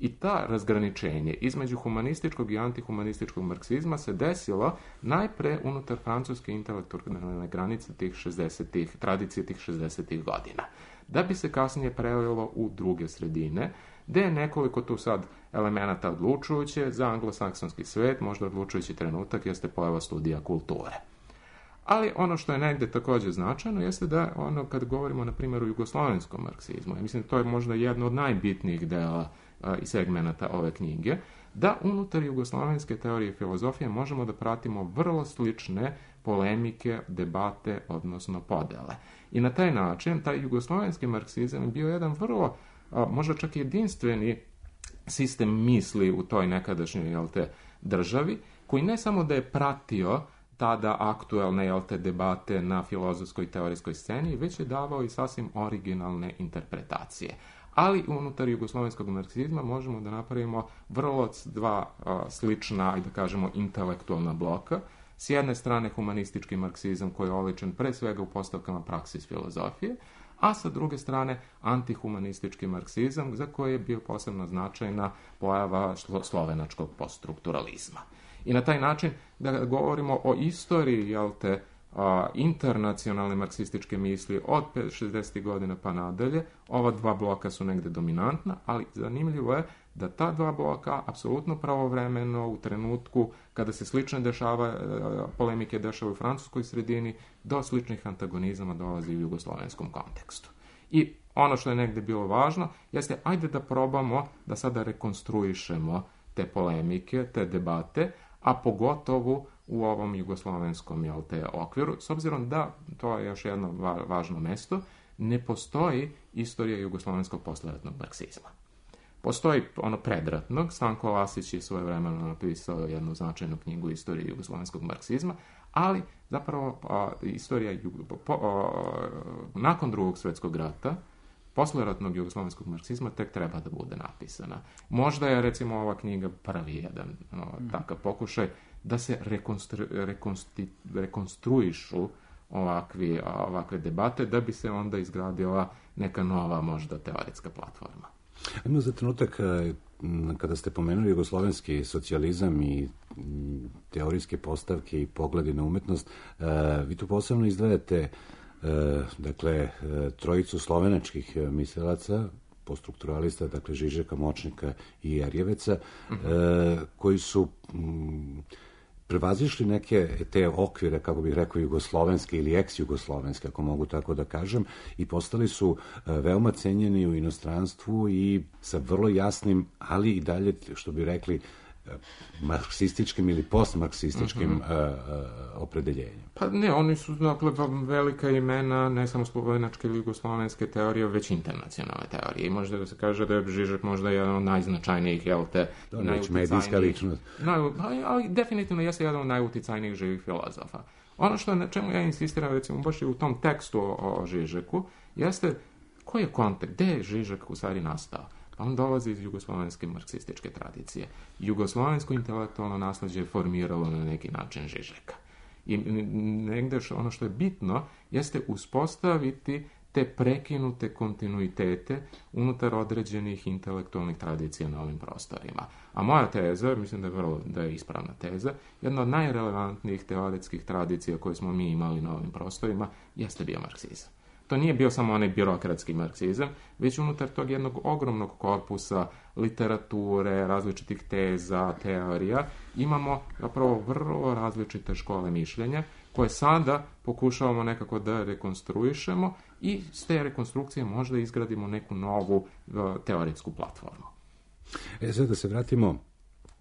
I ta razgraničenje između humanističkog i antihumanističkog marksizma se desilo najpre unutar francuske intelektualne granice tih 60-ih, tradicije tih 60-ih godina. Da bi se kasnije prelilo u druge sredine, gdje je nekoliko tu sad elemenata odlučujuće za anglosaksonski svet, možda odlučujući trenutak jeste pojava studija kulture. Ali ono što je negdje također značajno jeste da kad govorimo na primjer o jugoslovenskom marksizmu, ja mislim to je možda jedno od najbitnijih dela i segmenata ove knjige, da unutar jugoslovenske teorije filozofije možemo da pratimo vrlo slične polemike, debate, odnosno podele. I na taj način, taj jugoslovenski marksizam je bio jedan vrlo, možda čak jedinstveni sistem misli u toj nekadašnjoj državi, koji ne samo da je pratio tada aktuelne debate na filozofskoj i teorijskoj sceni, već je davao i sasvim originalne interpretacije. Ali unutar jugoslovenskog marksizma možemo da napravimo vrlo dva slična, ajde da kažemo, intelektualna bloka. S jedne strane humanistički marksizam koji je oličen pre svega u postavkama praksis filozofije, a sa druge strane antihumanistički marksizam za koji je bio posebno značajna pojava slovenačkog poststrukturalizma. I na taj način da govorimo o istoriji internacionalne marksističke misli od 60. godina pa nadalje, ova dva bloka su negde dominantna, ali zanimljivo je da ta dva bloka apsolutno pravovremeno u trenutku kada se slične polemike dešavaju u francuskoj sredini, do sličnih antagonizama dolazi u jugoslovenskom kontekstu. I ono što je negde bilo važno jeste, ajde da probamo da sada rekonstruišemo te polemike, te debate, a pogotovo u ovom jugoslovenskom okviru, s obzirom da, to je još jedno važno mesto, ne postoji istorija jugoslovenskog posleratnog marksizma. Postoji ono predratnog, Stanko Lasić je svojevremeno napisao jednu značajnu knjigu istorije jugoslovenskog marksizma, ali zapravo istorija nakon Drugog svjetskog rata, posleratnog jugoslovenskog marksizma tek treba da bude napisana. Možda je, recimo, ova knjiga prvi jedan takav pokušaj da se rekonstruišu ovakve debate, da bi se onda izgradila neka nova, možda, teoretska platforma. Ajmo za trenutak, kada ste pomenuli jugoslovenski socijalizam i teorijske postavke i pogledi na umetnost, vi tu posebno izdvajate trojicu slovenačkih mislilaca, poststrukturalista, dakle Žižeka, Močnika i Erjeveca, koji su prevazišli neke te okvire, kako bih rekao, jugoslovenske ili ex-jugoslovenske, ako mogu tako da kažem, i postali su veoma cenjeni u inostranstvu i sa vrlo jasnim, ali i dalje, što bi rekli, marksističkim ili postmarksističkim opredeljenjem. Pa ne, oni su, dakle, velika imena, ne samo slovenačke ili jugoslovenske teorije, već internacionalne teorije. I možda da se kaže da je Žižek možda jedan od najznačajnijih, medijska ličnost. Ali definitivno jeste jedan od najuticajnijih živih filozofa. Ono što na čemu ja insistiram, recimo, baš i u tom tekstu o Žižeku, jeste koji je kontekst, gde je Žižek u stvari nastao? On dolazi iz jugoslovenske marksističke tradicije. Jugoslovensko intelektualno nasleđe je formiralo na neki način Žižeka. I negde ono što je bitno jeste uspostaviti te prekinute kontinuitete unutar određenih intelektualnih tradicija na ovim prostorima. A moja teza, mislim da je ispravna teza, jedna od najrelevantnijih teoretskih tradicija koje smo mi imali na ovim prostorima jeste bio marksizam. To nije bio samo onaj birokratski marksizam, već unutar tog jednog ogromnog korpusa literature, različitih teza, teorija, imamo zapravo vrlo različite škole mišljenja, koje sada pokušavamo nekako da rekonstruišemo i s te rekonstrukcije možda izgradimo neku novu teoretsku platformu. Sad da se vratimo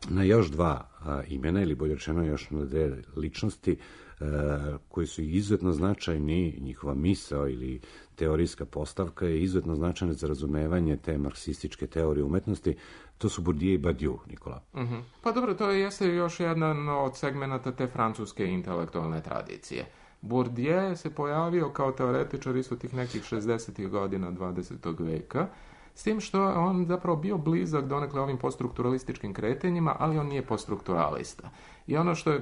na još dva imena, ili bolje rečeno još na dve ličnosti, koji su izuzetno značajni, njihova misao ili teorijska postavka je izuzetno značajna za razumevanje te marksističke teorije umetnosti. To su Bourdieu i Badiou, Nikola. Pa dobro, to jeste još jedan od segmenata te francuske intelektualne tradicije. Bourdieu se pojavio kao teoretičar isto tih nekih 60. godina 20. veka, s tim što je on zapravo bio blizak donekle ovim poststrukturalističkim kretenjima, ali on nije poststrukturalista. I ono što je,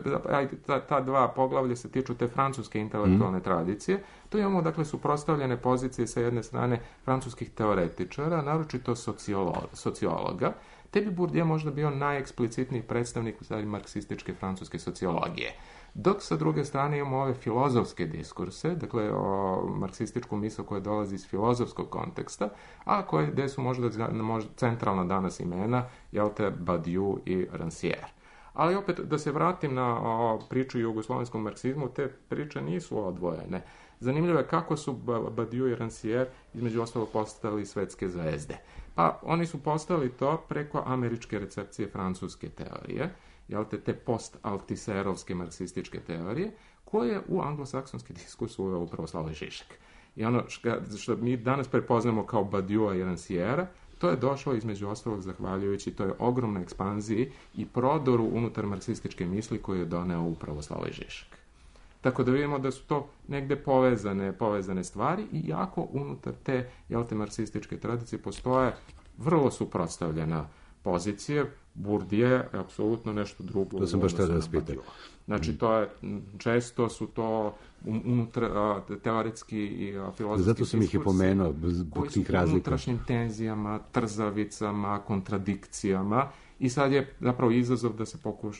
ta dva poglavlja se tiču te francuske intelektualne tradicije, tu imamo, dakle, suprotstavljene pozicije sa jedne strane francuskih teoretičara, naročito sociologa, te bi Bourdieu možda bio najeksplicitniji predstavnik marksističke francuske sociologije. Dok sa druge strane imamo ove filozofske diskurse, dakle o marksističku misao koja dolazi iz filozofskog konteksta, a gde su možda centralna danas imena, Badiou i Rancière. Ali opet, da se vratim na priču o jugoslovenskom marksizmu, te priče nisu odvojene. zanimljivo je kako su Badiou i Rancière između ostalog postali svetske zvezde. Pa oni su postali to preko američke recepcije francuske teorije, te post-altiserovske marksističke teorije, koje u anglosaksonski diskurs uveo upravo Slavoj Žižek. I ono što mi danas prepoznamo kao Badioua i Rancièra, to je došlo između ostalog zahvaljujući toj ogromnoj ekspanziji i prodoru unutar marksističke misli koju je doneo upravo Slavoj Žižek. Tako da vidimo da su to negde povezane stvari i jako unutar te marksističke tradicije postoje vrlo suprotstavljena pozicije. Bourdieu je apsolutno nešto drugo. To sam baš tada vas pitao. Znači, često su to teoretski i filozofski zato sam ih i pomenuo zbog tih razlika. Koji su unutrašnjim tenzijama, trzavicama, kontradikcijama i sad je zapravo izazov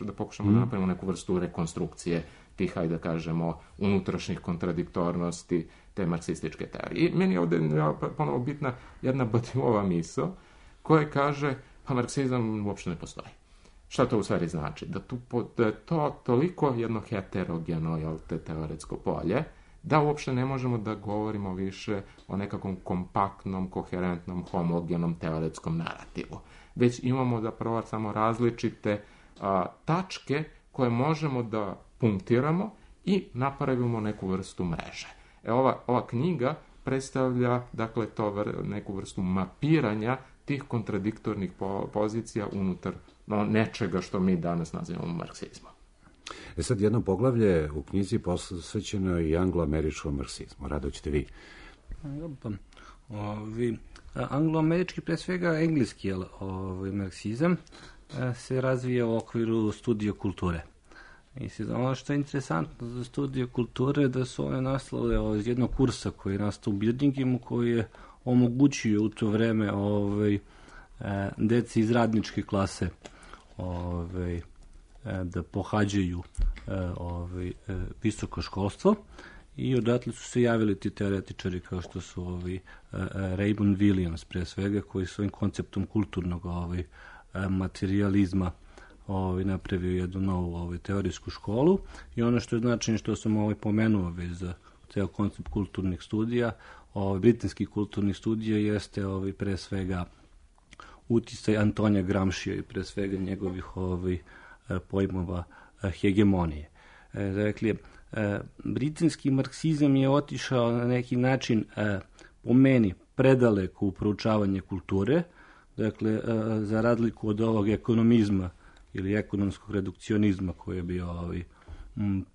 da pokušamo napravimo neku vrstu rekonstrukcije tih, hajde da kažemo, unutrašnjih kontradiktornosti te marksističke teorije. I meni je ovdje ponovo bitna jedna Badiouova misao koja kaže pa marksizam uopšte ne postoji. Šta to u stvari znači? Da je to toliko jedno heterogeno teoretsko polje, da uopšte ne možemo da govorimo više o nekakvom kompaktnom, koherentnom, homogenom teoretskom narativu. Već imamo zapravo samo različite tačke koje možemo da punktiramo i napravimo neku vrstu mreže. Ova knjiga predstavlja dakle neku vrstu mapiranja tih kontradiktornih pozicija unutar nečega što mi danas nazivamo marksizmom. Sad jedno poglavlje u knjizi posvećeno i angloameričkom marksizmu. Rado ćete vi. Angloamerički, pre svega engleski marksizam se razvija u okviru studija kulture. Ono što je interesantno za studije kulture da su one nastale iz jednog kursa koji je nastao u Birminghamu, koji je omogućio u to vreme deci iz radničke klase da pohađaju visoko školstvo i odatle su se javili ti teoretičari kao što su Raymond Williams pre svega, koji svojim konceptom kulturnog materializma napravio jednu novu teorijsku školu. I ono što je značajno, što sam pomenuo već za ceo koncept kulturnih studija, britanskih kulturnih studija, jeste pre svega uticaj Antonija Gramscija i pre svega njegovih pojmova hegemonije. Dakle, britanski marksizam je otišao na neki način, po meni, predaleko u proučavanje kulture, dakle, za razliku od ovog ekonomizma ili ekonomskog redukcionizma koji je bio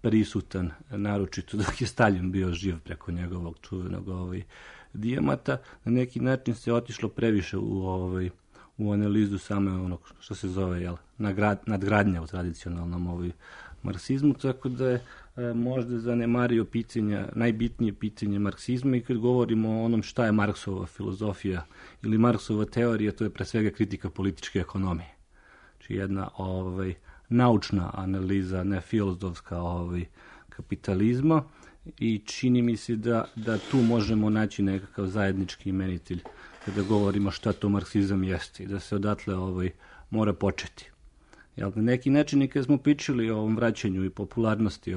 prisutan, naročito dok je Stalin bio živ preko njegovog čuvenog dijamata, na neki način se otišlo previše u analizu same onog što se zove nadgradnja u tradicionalnom marksizmu, tako da je možda zanemario najbitnije pitanje marksizma. I kad govorimo o onom šta je Marksova filozofija ili Marksova teorija, to je pre svega kritika političke ekonomije. Znači jedna naučna analiza, ne filozofska kapitalizma, i čini mi se da tu možemo naći nekakav zajednički imenitelj kada govorimo šta to marksizam jeste i da se odatle mora početi. Na neki način i kada smo pričali o ovom vraćanju i popularnosti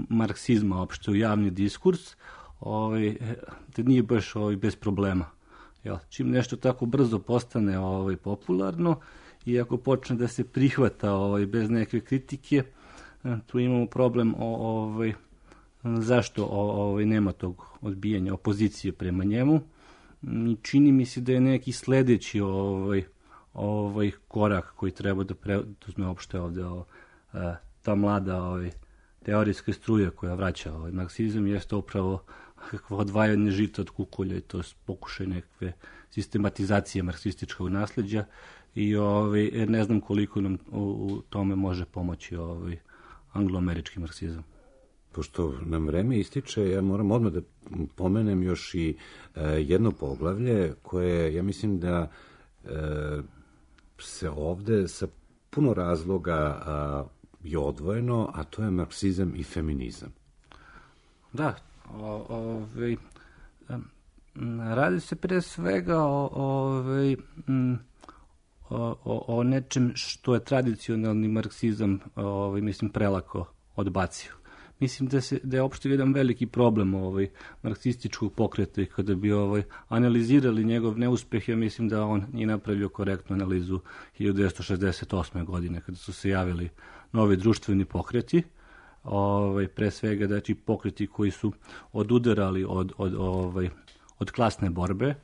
marksizma opšte u javni diskurs, da nije baš bez problema. Čim nešto tako brzo postane popularno i ako počne da se prihvata bez neke kritike, tu imamo problem zašto nema tog odbijanja opozicije prema njemu. Čini mi se da je neki sledeći korak koji treba da preduzme uopšte ovde ta mlada teorijska struja koja vraća marksizam, jeste upravo kakvo odvajanje žita od kukolja i to je pokušaj nekakve sistematizacije marksističkog nasleđa i ne znam koliko nam u tome može pomoći angloamerički marksizam. Pošto nam vreme ističe, ja moram odmah da pomenem još i jedno poglavlje koje, ja mislim da se ovde sa puno razloga je odvojeno, a to je marksizam i feminizam. Da, radi se pre svega o nečem što je tradicionalni marksizam prelako odbacio. mislim da je opšte jedan veliki problem marksističkog pokreta i kada bi analizirali njegov neuspeh, ja mislim da on nije napravio korektnu analizu 1968. godine kada su se javili novi društveni pokreti, pre svega znači pokreti koji su odudarali od klasne borbe,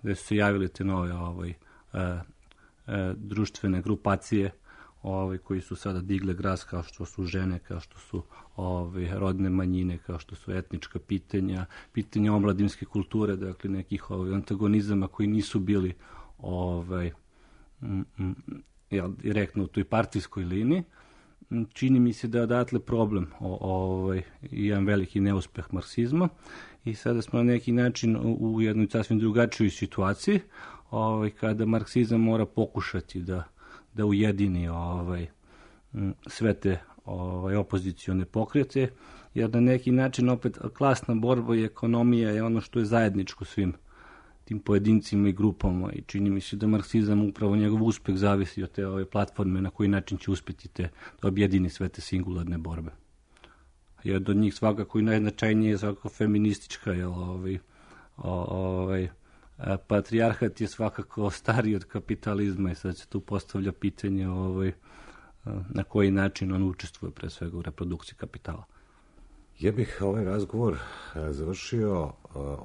gde su se javili te nove društvene grupacije koji su sada digle glas, kao što su žene, kao što su rodne manjine, kao što su etnička pitanja omladinske kulture, dakle nekih antagonizama koji nisu bili direktno u toj partijskoj liniji. Čini mi se da je odatle problem i jedan veliki neuspeh marksizma i sada smo na neki način u jednoj sasvim drugačijoj situaciji kada marksizam mora pokušati da ujedini sve te opozicione pokrete, jer na neki način opet klasna borba i ekonomija je ono što je zajedničko svim tim pojedincima i grupama i čini mi se da marksizam upravo njegov uspeh zavisi od te platforme na koji način će uspjeti da objedini sve te singularne borbe. Jedan od njih svakako i najznačajnije je svakako feministička, patrijarhat je svakako stariji od kapitalizma i sad se tu postavlja pitanje na koji način on učestvuje pre svega u reprodukciji kapitala. Ja bih ovaj razgovor završio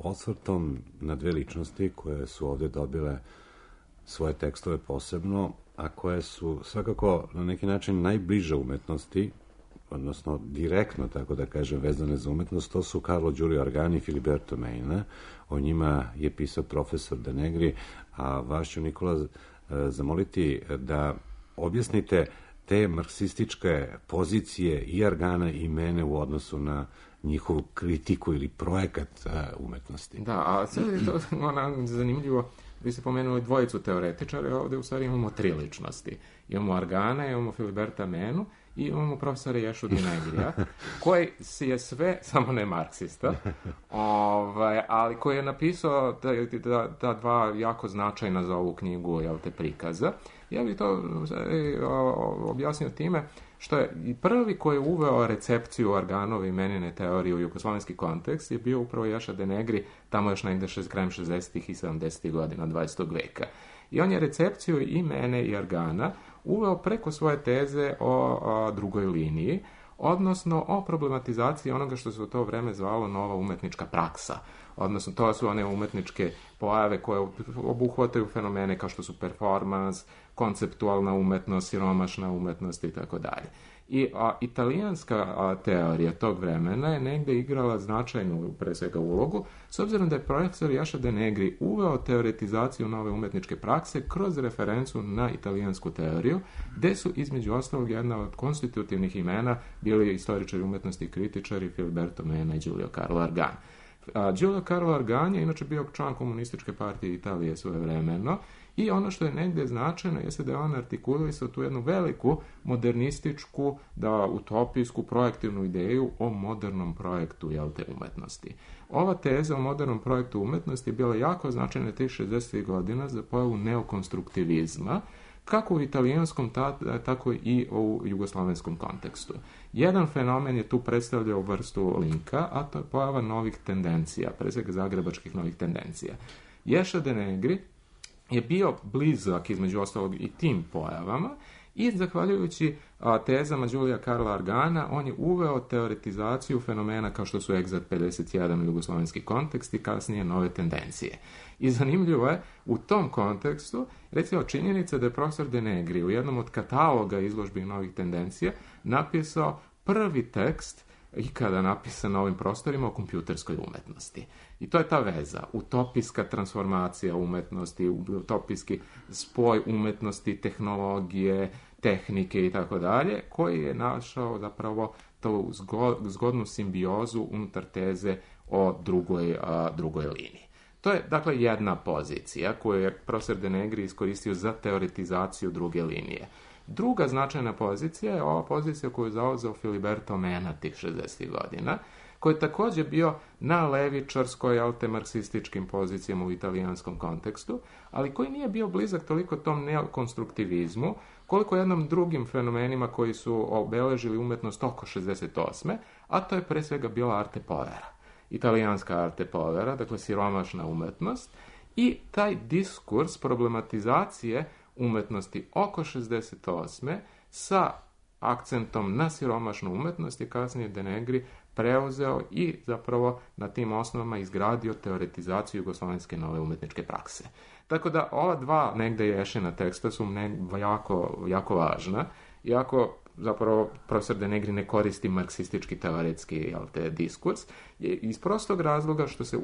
osvrtom na dve ličnosti koje su ovdje dobile svoje tekstove posebno, a koje su svakako na neki način najbliže umetnosti, odnosno direktno, tako da kažem, vezane za umetnost. To su Carlo Giulio Argani i Filiberto Meina. O njima je pisao profesor De Negri, a vas ću, Nikola, zamoliti da objasnite te marksističke pozicije i Argana i Mene u odnosu na njihovu kritiku ili projekat umetnosti. Da, a sad je to zanimljivo, vi ste pomenuli dvojicu teoretičara, ovdje u stvari imamo tri ličnosti. Imamo Argana, imamo Filiberta Menu i imamo profesora Ješu De Negrija, koji je sve, samo ne marksista, ali koji je napisao ta dva jako značajna za ovu knjigu prikaza. Ja bih to objasnio time što je i prvi koji je uveo recepciju Arganove i Menine teorije u jugoslovenski kontekst je bio upravo Ješa De Negri, tamo još negde krajem 60. i 70. godina 20. veka. I on je recepciju i Mene i Argana uveo preko svoje teze o drugoj liniji, odnosno o problematizaciji onoga što se u to vreme zvalo nova umetnička praksa. Odnosno, to su one umetničke pojave koje obuhvataju fenomene kao što su performans, konceptualna umetnost, siromašna umetnost i tako dalje. I italijanska teorija tog vremena je negde igrala značajnu, pre svega, ulogu, s obzirom da je profesor Ješa De Negri uveo teoretizaciju nove umetničke prakse kroz referencu na italijansku teoriju, gde su između ostalog jedna od konstitutivnih imena bili istoričari umetnosti i kritičari Filiberto Mena i Giulio Carlo Argan. Giulio Carlo Argan je inače bio član komunističke partije Italije svojevremeno i ono što je negdje značajno jeste da je on artikulisao tu jednu veliku modernističku, utopijsku, projektivnu ideju o modernom projektu umetnosti. Ova teza o modernom projektu umetnosti je bila jako značajna tih 60. godina za pojavu neokonstruktivizma, kako u italijanskom, tako i u jugoslovenskom kontekstu. Jedan fenomen je tu predstavljao vrstu linka, a to je pojava novih tendencija, pre svega zagrebačkih novih tendencija. Ješa De Negri je bio blizak između ostalog i tim pojavama i zahvaljujući tezama Giulija Carla Argana on je uveo teoretizaciju fenomena kao što su Exat 51 jugoslovenski kontekst i kasnije nove tendencije. I zanimljivo je u tom kontekstu recimo činjenica da je profesor De Negri u jednom od kataloga izložbi novih tendencija napisao prvi tekst ikada napisan na ovim prostorima o kompjuterskoj umetnosti. I to je ta veza, utopijska transformacija umetnosti, utopijski spoj umetnosti, tehnologije, tehnike i tako dalje, koji je našao zapravo tu zgodnu simbiozu unutar teze o drugoj liniji. To je, dakle, jedna pozicija koju je profesor De Negri iskoristio za teoretizaciju druge linije. Druga značajna pozicija je ova pozicija koju je zauzeo Filiberto Mena tih 60. godina, koji je također bio na levičarskoj, marksističkim pozicijama u italijanskom kontekstu, ali koji nije bio blizak toliko tom neokonstruktivizmu, koliko jednom drugim fenomenima koji su obeležili umetnost oko 68. a to je pre svega bila arte povera. Italijanska arte povera, dakle siromašna umetnost, i taj diskurs problematizacije umetnosti oko 68. sa akcentom na siromašnu umetnost je kasnije De Negri preuzeo i zapravo na tim osnovama izgradio teoretizaciju jugoslovenske nove umetničke prakse. Tako da ova dva negde ješena teksta su jako važna, iako zapravo profesor De Negri ne koristi marksistički teoretski diskurs, iz prostog razloga što se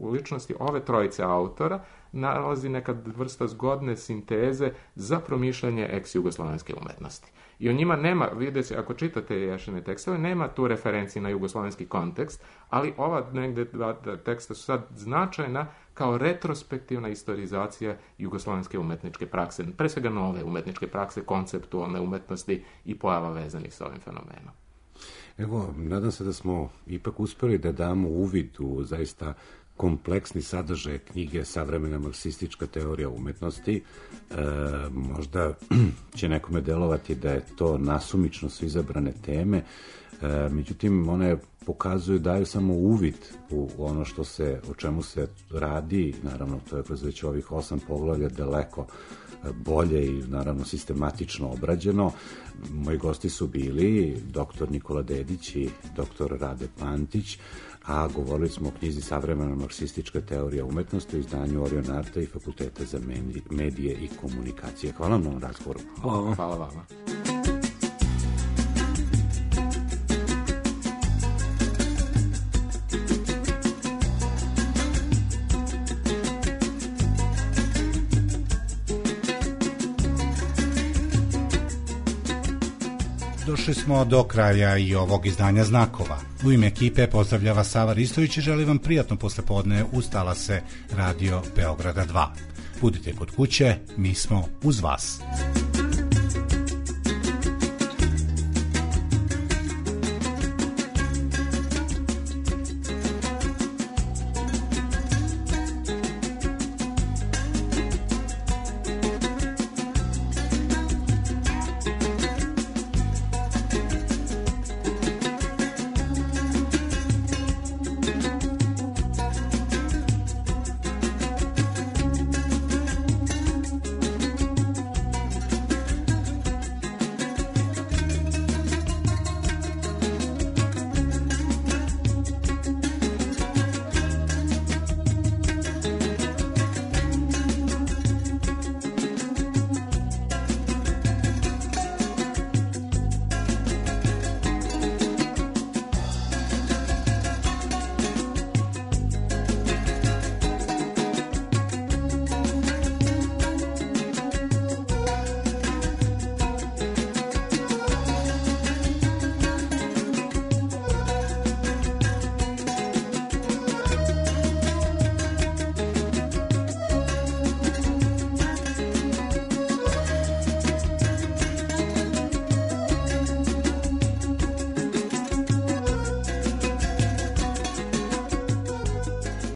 u ličnosti ove trojice autora nalazi neka vrsta zgodne sinteze za promišljanje ex-jugoslovenske umetnosti. I o njima nema, vidite, ako čitate ješene tekstove, nema tu referenciji na jugoslovenski kontekst, ali ova negde dva teksta su sad značajna kao retrospektivna istorizacija jugoslovenske umetničke prakse, pre svega nove umetničke prakse, konceptualne umetnosti i pojava vezanih sa ovim fenomenom. Evo, nadam se da smo ipak uspeli da damo uvid u zaista kompleksni sadržaj knjige Savremena marksistička teorija umetnosti. Možda će nekome delovati da je to nasumično su izabrane teme, međutim one pokazuju, daju samo uvid u ono o čemu se radi, naravno to je kroz već ovih 8 poglavlja daleko bolje i naravno sistematično obrađeno. Moji gosti su bili dr. Nikola Dedić i dr. Rade Pantić, a govorili smo o knjizi Savremena marksistička teorija umetnosti u izdanju Orion Arta i Fakulteta za medije i komunikacije. Hvala vam na razgovoru. Hvala vama. Došli smo do kraja i ovog izdanja Znakova. U ime ekipe pozdravlja vas Sava Ristović i želim vam prijatno poslepodne uz talase Radio Beograda 2. Budite kod kuće, mi smo uz vas.